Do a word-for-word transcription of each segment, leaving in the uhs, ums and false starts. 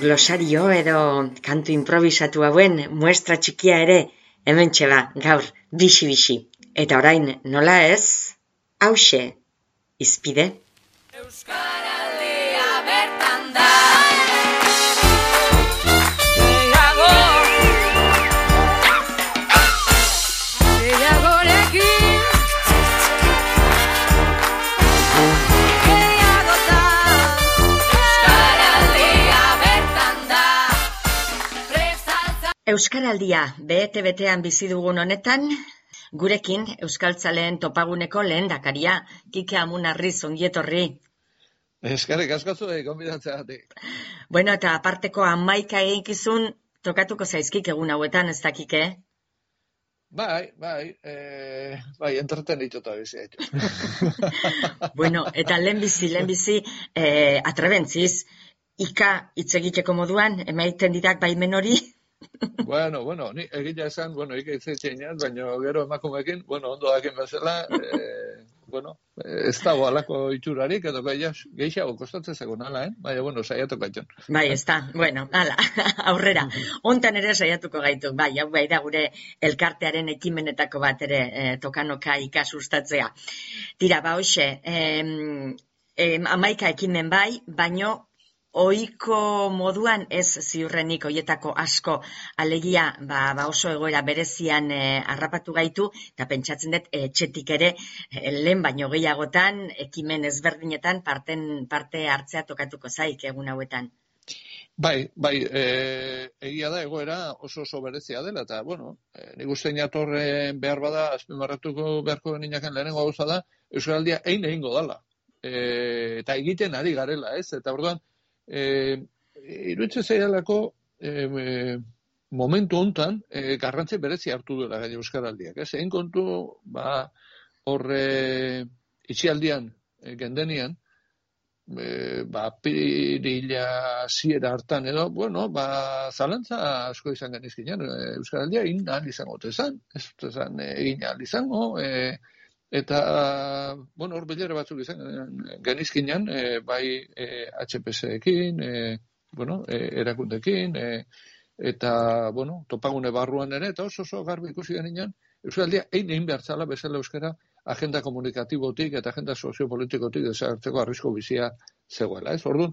glosario edo kantu improvisatu hauen muestra txikia ere hementxe ba, gaur, bixi-bixi. Eta orain, nola ez, hauxe, izpide. Euskaraldia bertan da. Euskaraldia, bete-betean bizi dugun honetan, gurekin Euskaltzaleen topaguneko lehendakaria, Kike Amunarriz, ongietorri. Eskerrik asko zuei gonbidatzeagatik. Bueno, eta aparteko hamaika eginkizun tokatuko zaizkik egun hauetan, ez da, Kike? Bai, bai, e, bai, entretenitu bizi haitu. Bueno, eta lehenbizi, lehenbizi, e, atrebentziz, ika hitz egiteko moduan, emaiten didak baimen hori? Bueno, bueno, ni egia esan, bueno, ika hitz egitzean, baina gero emakumekin, bueno, ondo dakin bezala, e, bueno, ez dago alako itxurarik, edo gehiago kostatzen zegoen ala, eh? Baina, bueno, saiatuko gaitzen. Bai, ez da, bueno, ala, aurrera. Hontan ere saiatuko gaitu, bai, hau bai da gure elkartearen ekimenetako bat ere e, tokanoka ikasustatzea. Tira, ba, hoxe, em, em, amaika ekimen bai, baino ohiko moduan ez ziurrenik hoietako asko alegia ba, ba oso egoera berezian e, harrapatu gaitu eta pentsatzen dut etxetik ere e, lehen baino gehiagotan ekimen ezberdinetan parten parte hartzea tokatuko zaik egun hauetan. Bai, bai, e, egia da egoera oso oso berezia dela eta bueno, e, nik uste inatorre behar bada azpimarratuko beharko ninaken lehenengo gauza da Euskaraldia ein egingo dala. E, eta egiten ari garela, ez? Eta orduan Eh, iruditzen zaidalako eh, eh, momentu hontan eh, garrantzi berezi hartu duela gaine Euskaraldiak. Ez egin kontu, ba, horre itxialdian eh, gendenian, eh, ba, pirila ziera hartan edo, bueno, ba, zalantza asko izan genizkinean, eh, Euskaraldia egin ahal izango tezan, ez tezan eh, egin ahal izango, eh, eta, bueno, hor bilera batzuk izan genizkinean, e, bai e, H P S-ekin, e, bueno, e, erakundekin, e, eta, bueno, topagune barruan ere, eta oso oso garbi ikusi genian, Euskaldia egin egin behar zala bezala euskara agenda komunikatibotik eta agenda soziopolitikotik desagertzeko arrisko bizia zegoela, ez? Orduan,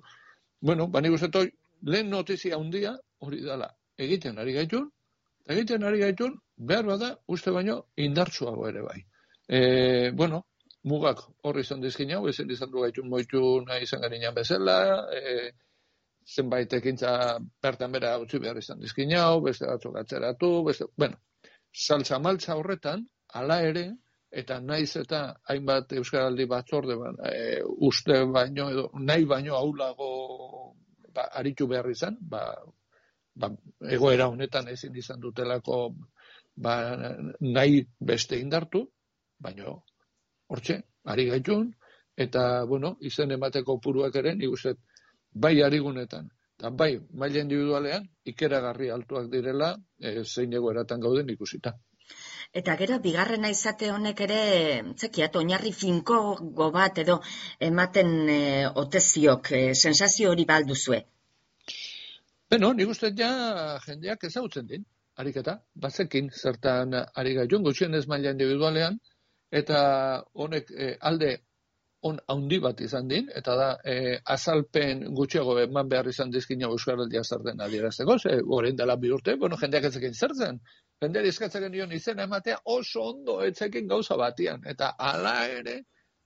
bueno, bani guztetoi, lehen notizia handia hori dela, egiten ari gaitun, egiten ari gaitun, behar bada, uste baino, indartsuago ere bai. E, bueno, mugak horri izan dizkin hau, ezin izan du gaitun moitu nahi izan garinan bezala, e, zenbait ekintza bertan bera utzi behar izan dizkin hau, beste batzuk atzeratu, beste, bueno, saltza-maltza horretan, hala ere, eta naiz eta hainbat Euskaraldi batzorde ban, e, uste baino, edo nahi baino aulago ba, aritu behar izan, ba, ba, egoera honetan ezin izan dutelako ba, nahi beste indartu, baina hortxe, ari gaitun, eta, bueno, izen emateko puruak ere, nik uste, bai arigunetan, eta bai, maila individualean, ikeragarri altuak direla, e, zein egoeratan gauden ikusita. Eta gero, bigarrena izate honek ere, zekiat, oinarri finko bat edo ematen e, oteziok, e, sensazio hori balduzue? Beno, nik uste ja jendeak ezagutzen din, ariketa, bazekin zertan ari gaitun, gutxienez maila individualean, eta honek e, alde on handi bat izan din, eta da e, azalpen gutxiago eman behar izan dizkina Euskaraldia zerten adierazteko, ze orain dela bi urte, bueno, jendeak etzekin zertzen, jendeari eskatzen nion izena ematea oso ondo etzekin gauza batian, eta hala ere,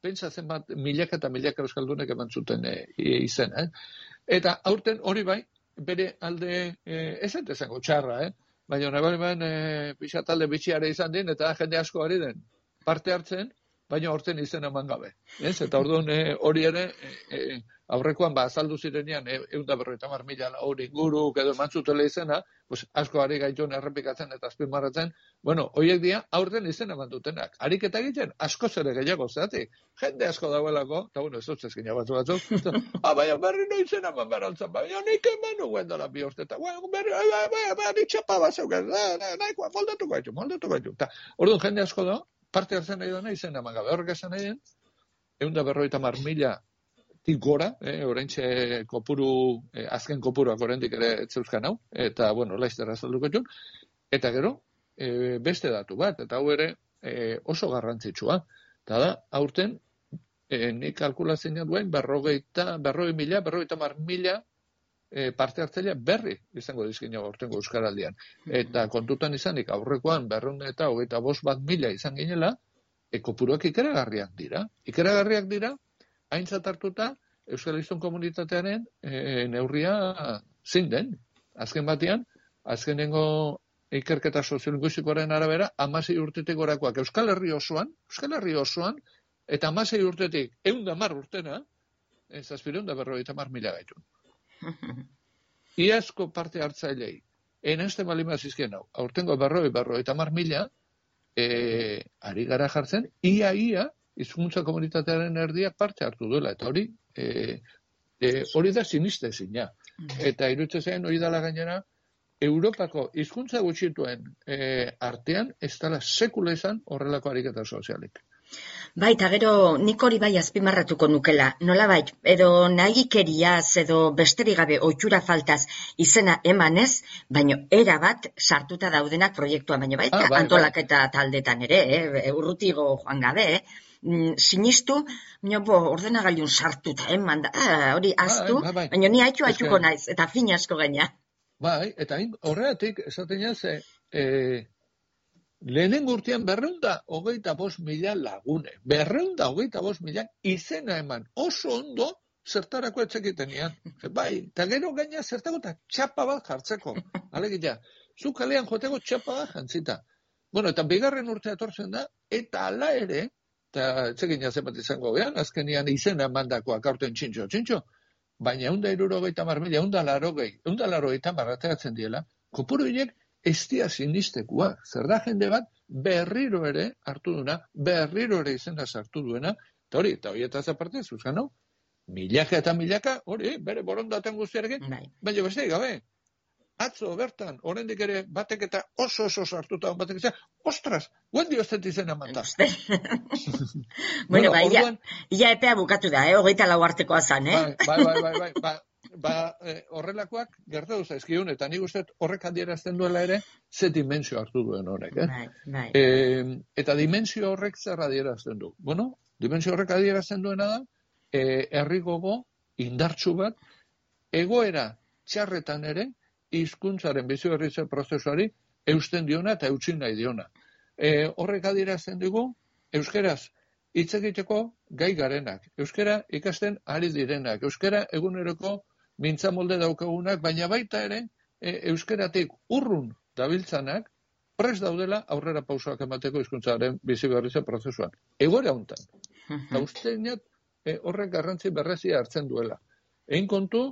pentsatzen bat milaka eta milaka euskaldunek eman zuten e, izena, eh? Eta aurten hori bai, bere alde e, ez entezango txarra, eh? Baina nabarmen e, pixa talde bitxiare izan din, eta jende asko ari den parte hartzen, baina hortzen izen eman gabe. Ez? Eta orduan e, hori ere, e, e, aurrekoan ba, azaldu zirenean, e, egun da berroita mar mila hori inguru, edo emantzutela izena, pues, asko ari gaitun errepikatzen eta azpimarratzen, bueno, horiek dira aurten izen eman dutenak. Ariketa egiten, asko zere gehiago, zeratik, jende asko dauelako, eta bueno, ez dut zezkina batzu batzuk, ah, baina berri no izen eman beraltzen, baina nik eman nuen dela bi orte, eta bueno, berri, baina, baina, baina, nik txapa bat zeuken, nahikoa, moldatu gaitu, moldatu gaitu. Eta orduan jende asko da, parte hartzen nahi dena izen eman gabe. Horrek esan nahi den, egun da berroita mar mila tik gora, eh, oraintxe kopuru, eh, azken kopuruak oraindik ere etzeuzkan hau, eta, bueno, laizter azalduko jun, eta gero, eh, beste datu bat, eta hau ere eh, oso garrantzitsua, eta da, aurten, eh, nik kalkulatzen duen, berrogeita, berrogei mila, berrogeita mar mila eh, parte hartzailea berri izango dizkina aurtengo Euskaraldian. Eta kontutan izanik, aurrekoan berrehun eta hogeita bost bat mila izan ginela, e, kopuruak ikeragarriak dira. Ikeragarriak dira, aintzat hartuta, Euskal Hiztun komunitatearen e, neurria zein den. Azken batean, azkenengo ikerketa soziolinguistikoaren arabera, hamasei urtetik gorakoak Euskal Herri osoan, Euskal Herri osoan, eta hamasei urtetik ehun eta hamar urtena, zazpiehun eta berrogeita hamar mila gaitun. Iazko parte hartzailei, enazten balima zizkien hau, aurtengo berroi, berrogeita hamar mila, e, ari gara jartzen, ia-ia, hizkuntza komunitatearen erdiak parte hartu duela, eta hori, e, e, hori da sinistezina. Eta iruditzen hori dala gainera, Europako hizkuntza gutxituen e, artean, ez dela sekula izan horrelako ariketa sozialik. Bai, eta gero nik hori bai azpimarratuko nukela, nola bai, edo nahikeriaz edo besterik gabe ohitura faltaz izena emanez, baino era bat sartuta daudenak proiektua, baino baita ah, bai, antolaketa bai. Taldetan ere, eh, urrutigo joan gabe, eh? Mm, sinistu, baina bo, ordenagailun sartuta eman da, ah, hori aztu, bai, bai, bai. Baina ni haitu haituko naiz, eta fin asko gaina. Bai, eta horregatik, esaten jaz, eh, lehenengo urtean berreunda hogeita bost mila lagune. Berreunda hogeita bost mila izena eman. Oso ondo zertarako etxekiten ean. Bai, eta gero gaina zertako eta txapa bat jartzeko. Alegia, zu kalean joteko txapa bat jantzita. Bueno, eta bigarren urtea etortzen da, eta ala ere, eta etxekin jazen bat izango gehan, azkenian izena emandakoak aurten txintxo, txintxo, baina eunda irurogeita mar mila, eunda larogei, eunda larogeita marrateratzen diela, kopuru hiek ez dia sinistekua. Zer da jende bat berriro ere hartu duena, berriro ere izena sartu duena, eta hori, eta hori eta zaparte, zuzkan hau, milaka eta milaka, hori, bere borondaten guztiarekin, baina beste gabe, atzo bertan, oraindik ere batek eta oso oso sartuta batek izan, ostras, guen dioztet izena manta. Bueno, bai, ia epea bukatu da, eh, hogeita lau artekoa zan, eh? Bai, bai, bai, bai, bai. Ba, eh, horrelakoak gertatu zaizkigun, eta nik uste horrek adierazten duela ere, ze dimensio hartu duen horrek, eh? Bai, bai. E, eta dimensio horrek zer adierazten du? Bueno, dimensio horrek adierazten duena da, eh, herri gogo, indartsu bat, egoera txarretan ere, hizkuntzaren biziberritze prozesuari eusten diona eta eutsin nahi diona. E, horrek adierazten dugu, euskeraz hitz egiteko gai garenak, euskera ikasten ari direnak, euskera eguneroko mintza molde daukagunak, baina baita ere, e, euskeratik urrun dabiltzanak, prest daudela aurrera pausoak emateko hizkuntzaren biziberritze prozesuan. Egoera hontan. Eta usteinat e, horrek garrantzi berrezia hartzen duela. Egin kontu,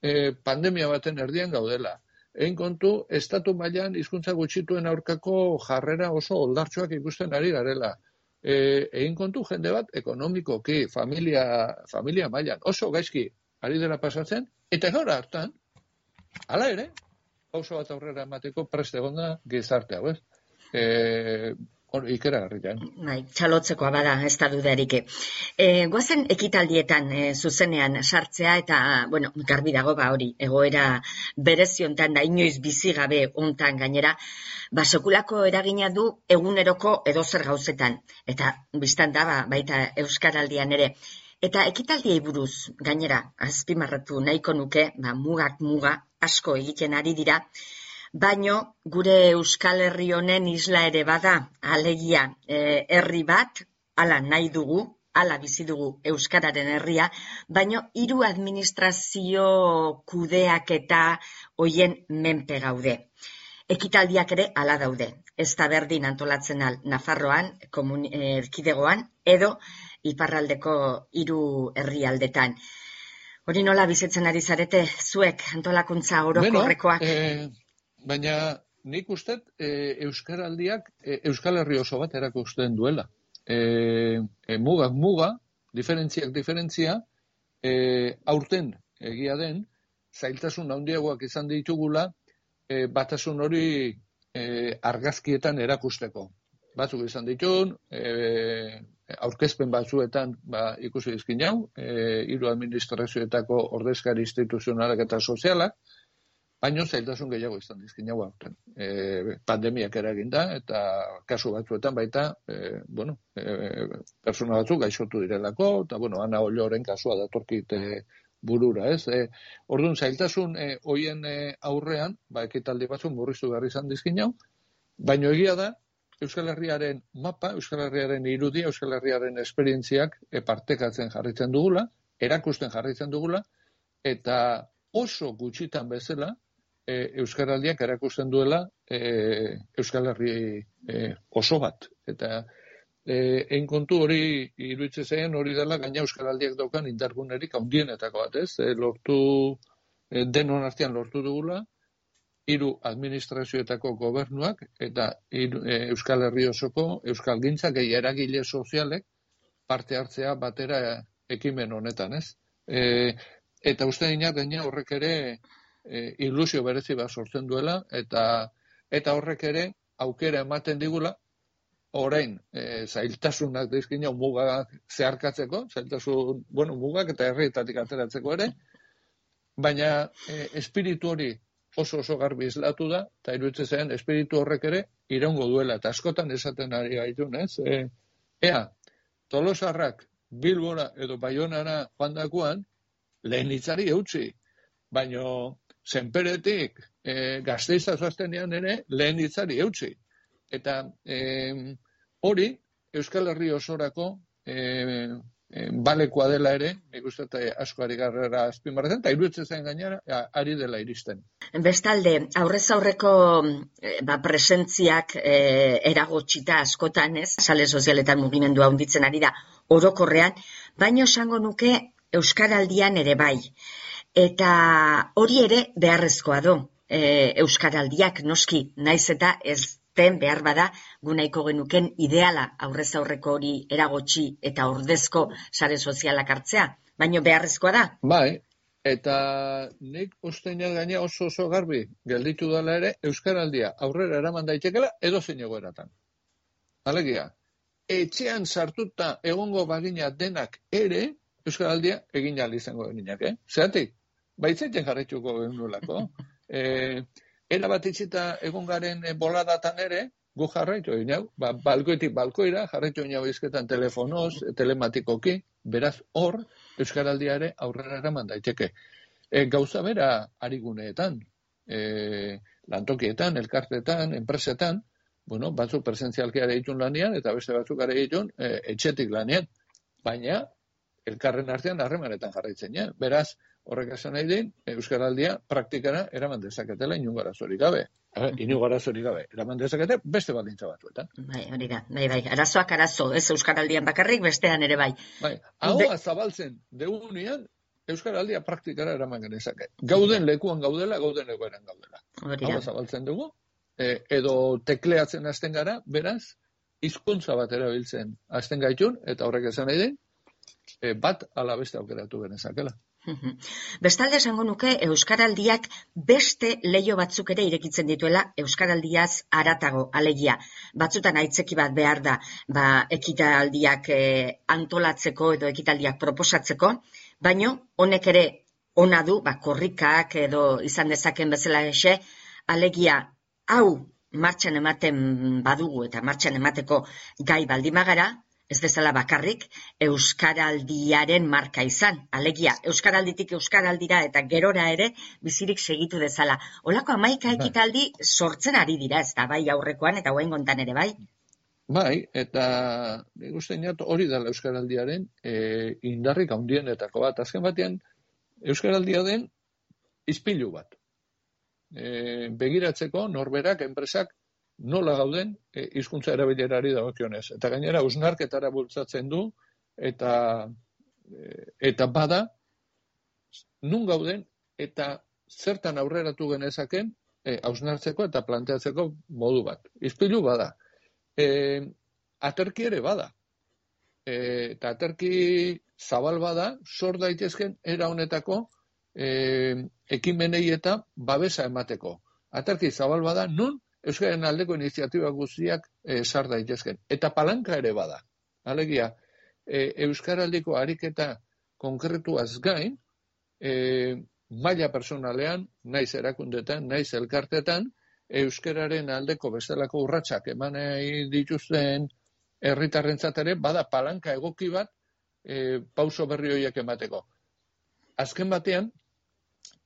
e, pandemia baten erdian gaudela. Egin kontu, estatu mailan hizkuntza gutxituen aurkako jarrera oso oldartsuak ikusten ari garela. E, egin kontu jende bat ekonomikoki, familia, familia mailan oso gaizki ari dela pasatzen, eta gaur hartan, hala ere, pauso bat aurrera emateko prest egonda gizarte hau, ez? E, ikeragarrian. Bai, txalotzekoa bada, ez da dudarik. E, goazen ekitaldietan e, zuzenean sartzea, eta, bueno, garbi dago ba hori, egoera bereziontan da, inoiz bizi gabe hontan gainera, ba, sekulako eragina du eguneroko edozer gauzetan, eta biztan da, ba, baita Euskaraldian ere. Eta ekitaldiei buruz, gainera, azpimarratu nahiko nuke, ba, mugak muga asko egiten ari dira, baino gure Euskal Herri honen isla ere bada, alegia e, herri bat, hala nahi dugu, hala bizi dugu Euskararen herria, baino hiru administrazio kudeak eta hoien menpe gaude. Ekitaldiak ere hala daude. Ez da berdin antolatzen al Nafarroan, erkidegoan, edo iparraldeko hiru herrialdetan. Hori nola bizitzen ari zarete, zuek antolakuntza orokorrekoak? Bueno, eh... Baina nik uste e, Euskaraldiak e, Euskal Herri oso bat erakusten duela. E, e, mugak muga, diferentziak diferentzia, e, aurten egia den, zailtasun handiagoak izan ditugula, e, batasun hori e, argazkietan erakusteko. Batzuk izan ditun, e, aurkezpen batzuetan ba, ikusi dizkin jau, e, hiru administrazioetako ordezkari instituzionalak eta sozialak, baino zailtasun gehiago izan dizkin jau aurten. E, pandemiak eraginda, eta kasu batzuetan baita, e, bueno, e, persona batzuk gaixotu direlako, eta, bueno, Ana Olloren kasua datorkit e, burura, ez? E, orduan, zailtasun e, hoien e, aurrean, ba, ekitaldi batzuk murriztu behar izan dizkin jau, baino egia da, Euskal Herriaren mapa, Euskal Herriaren irudia, Euskal Herriaren esperientziak e, partekatzen jarritzen dugula, erakusten jarritzen dugula, eta oso gutxitan bezala, E, Euskaraldiak erakusten duela e, Euskal Herri e, oso bat. Eta e, egin kontu hori iruditzen zen hori dela gaina Euskaraldiak daukan indargunerik handienetako bat, ez? E, lortu, e, denon artean lortu dugula, hiru administrazioetako gobernuak eta hiru, e, Euskal Herri osoko Euskal Gintzak gehi eragile sozialek parte hartzea batera ekimen honetan, ez? E, eta uste dina gaina horrek ere E, ilusio berezi bat sortzen duela, eta eta horrek ere aukera ematen digula, orain e, zailtasunak dizkina mugak zeharkatzeko, zailtasun, bueno, mugak eta herrietatik ateratzeko ere, baina e, espiritu hori oso oso garbi islatu da, eta iruditzen zen espiritu horrek ere iraungo duela, eta askotan esaten ari gaitun, ez? E, ea, Tolosarrak Bilbora edo Baionara joan dakuan, lehen hitzari eutzi, baino Zenperetik e, Gasteiza zoaztenean ere lehen hitzari eutzi. Eta e, hori Euskal Herri osorako e, e, balekoa dela ere, nik uste asko ari garrera azpimarratzen, eta iruditzen zen gainera, ari dela iristen. Bestalde, aurrez aurreko ba, presentziak e, eragotxita askotan, ez? Sale sozialetan mugimendua hunditzen ari da orokorrean, baino esango nuke Euskaraldian ere bai. Eta hori ere beharrezkoa do, e, Euskaraldiak noski, naiz eta ez den behar bada gunaiko genuken ideala aurrez aurreko hori eragotxi eta ordezko sare sozialak hartzea, baino beharrezkoa da. Bai, eta nik usteina gaina oso oso garbi gelditu dela ere Euskaraldia aurrera eraman daitekela edo zein egoeratan. Alegia, etxean sartuta egongo bagina denak ere, Euskaraldia egin ahal izango geninak, eh? Zeratik? Baitzaiten jarraituko genulako. E, era bat itxita egon garen boladatan ere, gu jarraitu egin hau, ba, balkoitik balkoira, jarraitu egin hau izketan telefonoz, telematikoki, beraz hor, Euskaraldia ere aurrera eraman daiteke. E, gauza bera ariguneetan, e, lantokietan, elkartetan, enpresetan, bueno, batzuk presentzialki ere ditun lanian, eta beste batzuk ere ditun e, etxetik lanian, baina elkarren artean harremanetan jarraitzen, ja? Beraz, horrek esan nahi din, Euskaraldia praktikara eraman dezaketela inungo arazorik gabe. Inungo arazorik gabe. Eraman dezakete beste baldintza batzuetan. Bai, hori da. Bai, bai. Arazoak arazo, ez Euskaraldian bakarrik, bestean ere bai. Bai, ahoa zabaltzen degunean, Euskaraldia praktikara eraman genezake. Gauden lekuan gaudela, gauden egoeran gaudela. Ahoa zabaltzen dugu, e, edo tekleatzen hasten gara, beraz, hizkuntza bat erabiltzen hasten gaitun, eta horrek esan nahi din, e, bat ala beste aukeratu genezakela. Bestalde esango nuke Euskaraldiak beste leio batzuk ere irekitzen dituela Euskaraldiaz haratago, alegia. Batzutan aitzeki bat behar da, ba, ekitaldiak e, antolatzeko edo ekitaldiak proposatzeko, baino honek ere ona du, ba, korrikak edo izan dezaken bezala ese, alegia hau martxan ematen badugu eta martxan emateko gai baldimagara, ez bezala bakarrik, Euskaraldiaren marka izan. Alegia, Euskaralditik Euskaraldira eta gerora ere bizirik segitu dezala. Olako hamaika ekitaldi sortzen ari dira, ez da, bai aurrekoan eta guain gontan ere, bai? Bai, eta nik uste inat hori dela Euskaraldiaren e, indarrik handienetako bat. Azken batean, Euskaraldia den izpilu bat. E, begiratzeko norberak, enpresak, nola gauden e, hizkuntza erabilerari dagokionez. Eta gainera, hausnarketara bultzatzen du, eta, e, eta bada, nun gauden, eta zertan aurreratu genezaken, hausnartzeko e, eta planteatzeko modu bat. Izpilu bada. E, aterki ere bada. E, eta aterki zabal bada, sor daitezken era honetako e, ekimenei eta babesa emateko. Aterki zabal bada, nun Euskaren aldeko iniziatiba guztiak e, sar daitezken. Eta palanka ere bada. Alegia, e, Euskaraldiko ariketa konkretuaz gain, e, maila personalean, naiz erakundetan, naiz elkartetan, euskararen aldeko bestelako urratsak eman dituzten herritarrentzat ere bada palanka egoki bat e, pauso berri horiek emateko. Azken batean,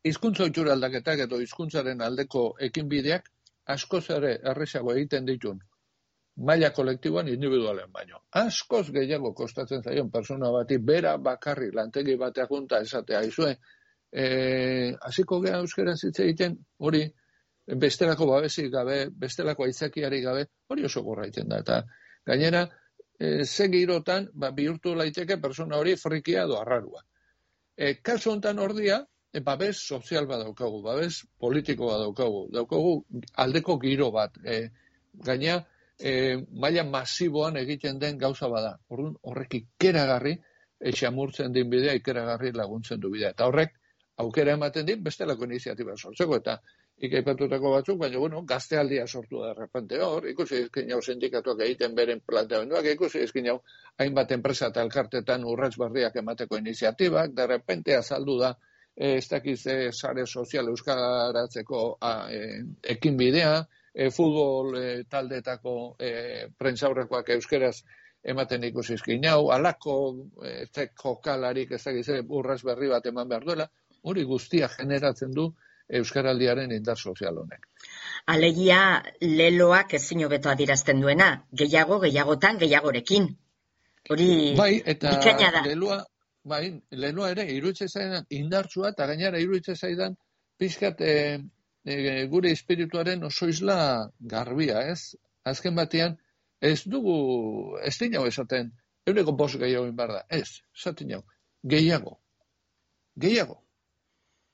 hizkuntza ohitura aldaketak edo hizkuntzaren aldeko ekinbideak askoz ere erresago egiten ditun maila kolektiboan individualen baino. Askoz gehiago kostatzen zaion persona bati bera bakarri lantegi bateak junta esatea izue, e, hasiko gea euskaraz hitz egiten, hori bestelako babesik gabe, bestelako aitzakiari gabe, hori oso gorra egiten da. Eta gainera, e, ze girotan, ba, bihurtu laiteke persona hori frikia edo arrarua. E, kasu honetan ordia, e, babes sozial bat daukagu, babes politiko bat daukagu, daukagu aldeko giro bat. E, gaina, e, maila masiboan egiten den gauza bada. Orduan, horrek ikeragarri, etxamurtzen din bidea, ikeragarri laguntzen du bidea. Eta horrek, aukera ematen din, bestelako iniziatiba sortzeko, eta ikaipatutako batzuk, baina, bueno, gaztealdia sortu da errepente hor, ikusi ezkin jau sindikatuak egiten beren planteamenduak, ikusi ezkin jau hainbat enpresa eta elkartetan urrats berriak emateko iniziatibak, de repente azaldu da, e, ez dakiz e, sare sozial euskaratzeko a, e, ekin bidea, e, futbol e, taldetako e, prentsaurrekoak euskeraz ematen ikusi ezkin jau, alako e, jokalarik ez dakiz urrats berri bat eman behar duela, hori guztia generatzen du euskaraldiaren indar sozial honek. Alegia leloak ezin hobeto adierazten duena, gehiago, gehiagotan, gehiagorekin. Hori bai, eta bikaina da. leloa, bai, leloa ere iruditzen zaidan indartsua, eta gainera iruditzen zaidan pixkat e, e, gure espirituaren oso isla garbia, ez? Azken batean, ez dugu, ez dinau esaten, euneko bost gehiago inbar da, ez, esaten jau, gehiago, gehiago.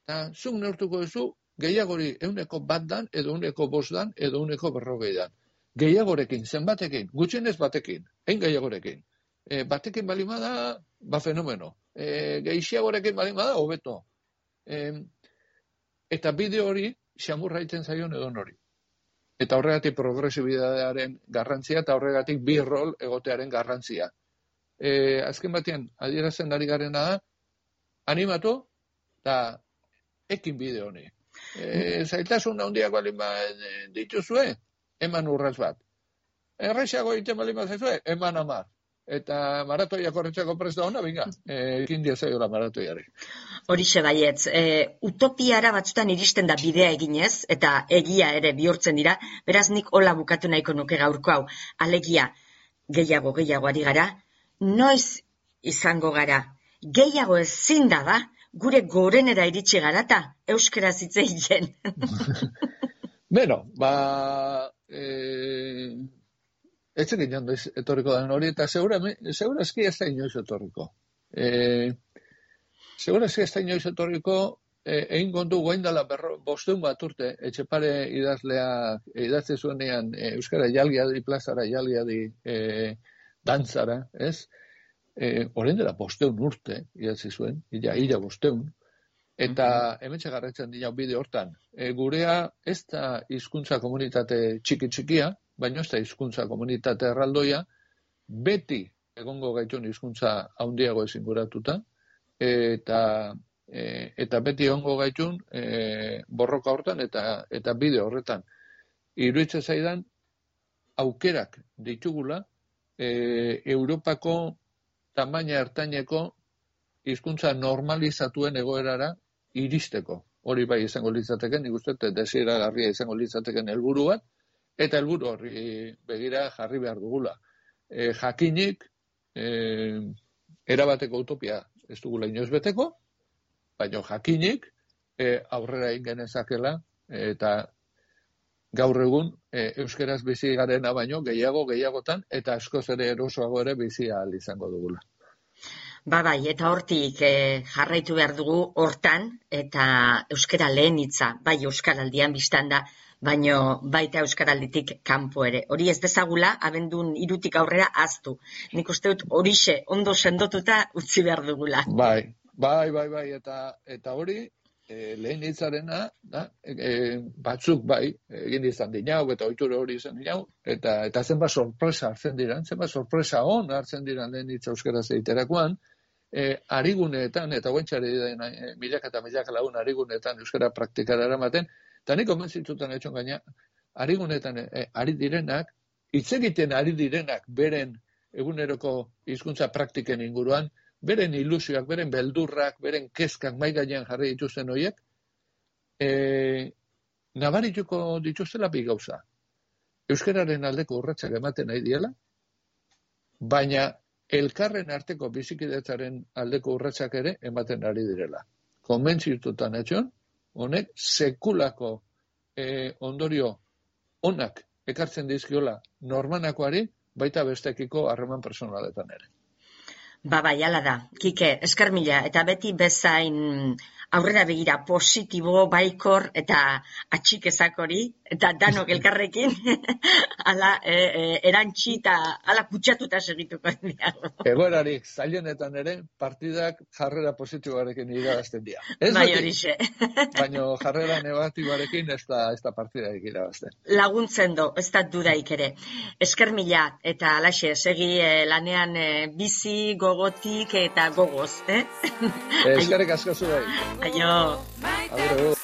Eta zuk neurtuko duzu, gehiagori euneko bat dan, edo euneko bost dan, edo euneko berrogei dan. Gehiagorekin, zenbatekin, gutxienez batekin, hein gehiagorekin. E, batekin balimada, ba fenomeno. E, Gehiagorekin balimada, hobeto. E, eta bideo hori, xamurra iten zaion edo nori. Eta horregatik progresibidadearen garrantzia, eta horregatik bi rol egotearen garrantzia. E, azken batean, adierazten ari garena da, animatu, eta ekin bideo honi. E, zailtasun handiak balin dituzue, eman urraz bat. Errexago egiten balin bat zaizue, eman amar. Eta maratoia korretzako presta hona, binga, ekin diezaiola maratoiari. Horixe baietz, e, utopiara batzutan iristen da bidea eginez, eta egia ere bihurtzen dira, beraz nik hola bukatu nahiko nuke gaurko hau. Alegia, gehiago, gehiago ari gara, noiz izango gara, gehiago ezin da da, gure gorenera iritsi garata, euskaraz hitz egiten. Beno, ba, e, ez egin jandoiz etorriko den hori, eta segurazki ez da inoiz etorriko. E, segurazki ez da inoiz etorriko, e, egin kontu guain dela bosteun bat urte, Etxepare idazlea, idatze zuenean, e, euskara jalgiadi plazara, jalgiadi e, dantzara, ez? E, Horen dela bosteun urte, idatzi zuen, ila, ila bosteun, eta hemen txagarretzen dira bide hortan. E, gurea ez da hizkuntza komunitate txiki-txikia, baina ez da hizkuntza komunitate erraldoia, beti egongo gaitun hizkuntza handiago ezinguratuta, eta, e, eta beti egongo gaitun e, borroka hortan eta, eta bide horretan. Iruditzen zaidan, aukerak ditugula, e, Europako tamaina ertaineko hizkuntza normalizatuen egoerara iristeko. Hori bai izango litzateken, nik uste desiragarria izango litzateken helburu bat, eta helburu horri begira jarri behar dugula. E, jakinik, e, erabateko utopia ez dugula inoiz beteko, baina jakinik e, aurrera ingenezakela, eta gaur egun e, euskeraz bizi garena baino gehiago gehiagotan eta askoz ere erosoago ere bizi ahal izango dugula. Ba bai, eta hortik e, jarraitu behar dugu hortan eta euskara lehen hitza, bai euskaraldian biztan da, baino baita euskaralditik kanpo ere. Hori ez dezagula, abendun hirutik aurrera ahaztu. Nik uste dut horixe ondo sendotuta utzi behar dugula. Bai, bai, bai, bai, eta, eta hori e, lehen hitzarena, da, e, batzuk bai, egin izan dinau, eta ohitura hori izan dinau, eta, eta zenbat sorpresa hartzen diran, zenbat sorpresa on hartzen diran lehen hitz euskaraz egiterakoan, e, ariguneetan, eta guentxari den e, milaka eta milaka lagun ariguneetan euskara praktikara eramaten, eta nik konbentzitutan etxon gaina, ariguneetan e, ari direnak, hitz egiten ari direnak beren eguneroko hizkuntza praktiken inguruan, beren ilusioak, beren beldurrak, beren kezkak mai gainean jarri dituzten horiek, e, nabarituko dituztela bi gauza. Euskararen aldeko urratsak ematen nahi diela, baina elkarren arteko bizikidetzaren aldeko urratsak ere ematen ari direla. Konbentzitutan etxon, honek sekulako e, ondorio onak ekartzen dizkiola normanakoari, baita bestekiko harreman personaletan ere. Ba, bai, ala da. Kike, esker mila, eta beti bezain aurrera begira positibo, baikor, eta atxikezak hori, eta danok elkarrekin, ala e, e, erantxi eta ala kutsatuta segituko diago. Egoerarik zailenetan ere, partidak jarrera positiboarekin irabazten dira. Ez bai horixe. Baina jarrera negatiboarekin ez da, ez da partidarik irabazten. Laguntzen do, ez da dudaik ere. Esker mila, eta alaxe, segi eh, lanean eh, bizi, gogotik eta gogoz, eh? Eskerrik asko zuei. Aio. Agur.